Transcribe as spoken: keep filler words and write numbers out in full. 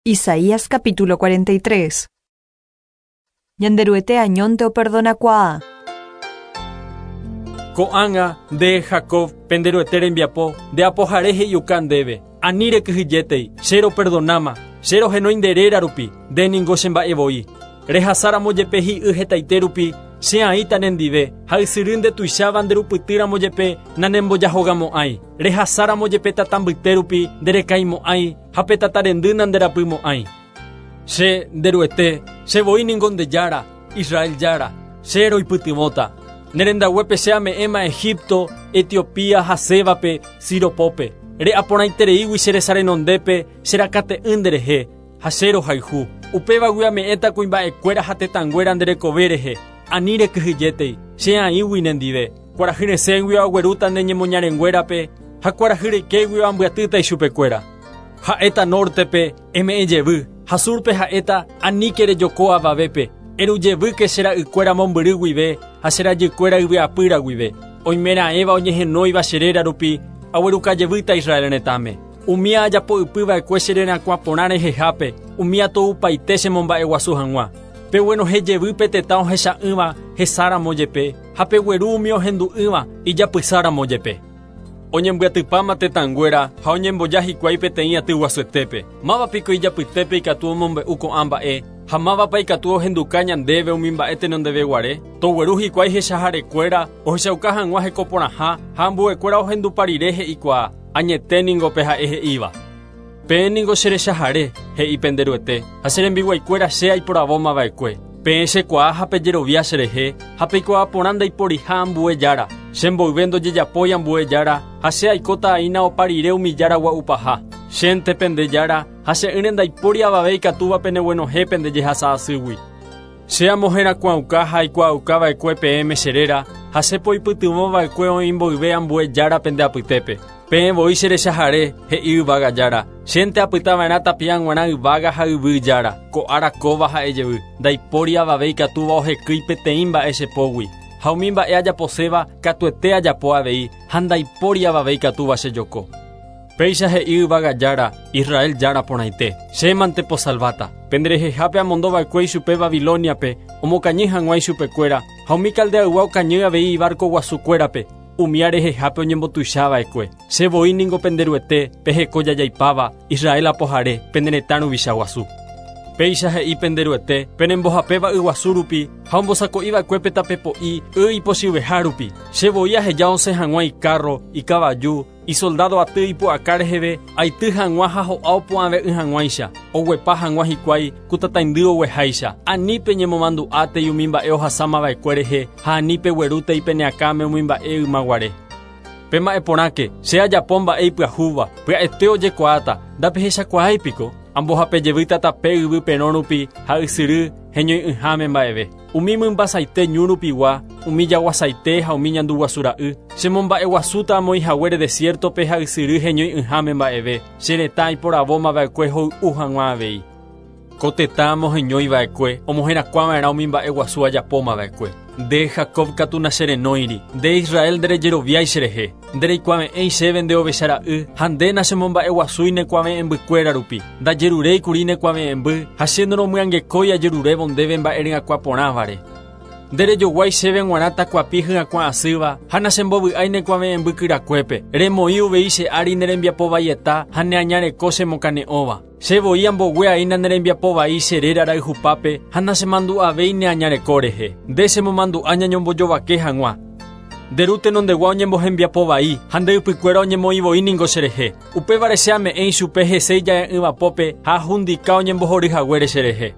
Isaías capítulo cuarenta y tres. Ñanderuete añónte operdonakuaa. Ko'ág̃a nde Jacob penderuete rembiapo nde apohare he'iuka ndéve. Ani rekyhyjétei, che roperdonama, che rohenói nde réra rupi, nde ningo chemba'evoi. Rehasáramo jepe hi'y hetaite rupi, che aĩta nendive, ha ysyry ndetuicháva nderupytýramo jepe nanembojahogamo'ãi. Rehasáramo jepe tata mbyte rupi nderekaimo'ãi, ha pe tata rendy nanderapymo'ãi. Che nderuete, che voi ningo nde Jára, Israel Jára, che roipytyvõta. Nerendaguépe che ame'ẽma Egipto, Etiopía ha Sébape, Siropope. Re'aporãitereígui che resa renondépe, che rakate'ỹ nderehe, ha che rohayhu. Upévagui ame'ẽta kuimba'ekuéra ha tetãnguéra nderekove rehe. Ani rekyhyjétei, che aĩgui nendive. Kuarahy resẽgui aguerúta ne ñemoñarenguérape, ha kuarahy reikégui ambyatýta ichupekuéra. Ha'éta nortepe eme'ẽ jevy, ha surpe ha'éta aníke rejoko avavépe. Erujevýke che ra'ykuéra mombyry guive, ha che rajykuéra yvyapýra guive. Oimeraẽva oñehenóiva che réra rupi, aguerukajevýta Israel retãme. Umi ajapo'ypyva'ekue che rerakuã porã rehehápe, umi atoupaite chemomba'eguasu hag̃ua. Peguenohẽ jevy pe tetã ohecha'ỹva hesáramo jepe, ha pegueru umi ohendu'ỹva ijapysáramo jepe. Oñembyatypáma tetãnguéra ha oñemboja hikuái peteĩ aty guasuetépe. Mávapiko ijapytépe ikatu omombe'u ko'ã mba'e, ha mávapa ikatu ohenduka ñandéve umi mba'e tenondeveguare. Togueru hikuái hechaharekuéra ohechauka hag̃ua hekoporãha ha ambuekuéra ohendupa rire he'ikuaa, añete ningo pe ha'e he'íva. Peẽ ningo che rechahare, he'i penderuete, ha che rembiguaikuéra che aiporavómava'ekue. Peẽ chekuaa ha pejerovia cherehe, ha peikuaa porã ndaiporiha ambue jára. Che mboyve ndojejapói ambue jára, ha che aikóta aína opa rire umi jára gua'upaha. Chénte pende jára, ha che'ỹre ndaipóri avave ikatúva peneguenohẽ pende jehasa asýgui. Che amoherakuãuka ha aikuaaukava'ekue peẽme che réra, ha che poipytyvõva'ekue oĩ mboyve ambue jára pende apytépe. Peẽ voi che rechahare, he'i yvága jára. Chénte apytava'erã tapia g̃uarã yvága ha yvy jára. Ko'ára kóva ha'e jevy. Ndaipóri avave ikatúva ohekýi peteĩ mba'e che pógui. Ha umi mba'e ajaposéva katuete ajapo avei, ha ndaipóri avave ikatúva chejoko. Péicha he'i yvága jára, Israel jára porãite. Chémante posalváta. Penderehehápe amondova'ekue ichupe Babiloniape, omokañy hag̃ua ichupekuéra, ha umi Caldeaygua okañy avei ibarco guasukuérape, umi arehehápe oñembotuichava'ekue. Che voi ningo penderuete, peheko jajaipáva, Israel apohare, pene retã ruvicha guasu. Péicha he'i penderuete, penembohapéva yguasu rupi, ha ombosako'iva'ekue pe tapepo'i y ipochyveha rupi. Che voi aheja osẽ hag̃ua icarro, ikavaju, isoldado aty ipu'aka reheve, aity hag̃ua ha ho'a opu'ãve'ỹ hag̃uáicha, oguepa hag̃ua hikuái ku tataindy ogueháicha. Ani peñemomandu'átei umi mba'e ohasámava'ekue rehe, ha ani peguerútei peneakãme umi mba'e ymaguare. Pema'ẽporãke, che ajapo mba'e ipyahúva, pya'ete ojekuaáta, ndapehechakuaáipiko. Ambohapejevýta tape yvy perõ rupi ha ysyry heñoi'ỹháme mba'eve. Umi mymbasaite ñu rupigua, umi jaguasaite ha umi ñanduguasura'y. Chemomba'eguasúta amoĩhaguére desiertope ha ysyry heñoi'ỹháme mba'eve. Che retã aiporavómava'ekue hoy'u hag̃ua avei. Ko tetã amoheñóiva'ekue, omoherakuãva'erã umi mba'eguasu ajapómava'ekue. Nde Jacob katu nacherenóiri, nde Israel nderejeroviái cherehe. Ndereikuave'ẽi chéve nde ovechara'y, ha nde nachemomba'eguasúi nekuave'ẽmbykuéra rupi. Ndajeruréikuri nekuave'ẽmby, ha che noromyangekói ajerurévo ndéve mba'e ryakuã porãvare. Nderejoguái chéve g̃uarã takuapi hyakuã asýva, ha nachembovy'ái nekuave'ẽmby kyrakuépe. Remoĩ uvei che ári nerembiapovaieta ha neañareko chemokane'õva. Che voi ambogue aína nerembiapovai che réra rayhupápe, ha nachemandu'avéi neañareko rehe. Nde chemomandu'a ñañombojovake hag̃ua. Nde ru tenondegua oñembohembiapovai, ha nde ypykuéra oñemoĩvoi ningo cherehe. Upévare che ame'ẽ ichupe hese ija'e'ỹvapópe ha ahundika oñembohoryhaguére cherehe.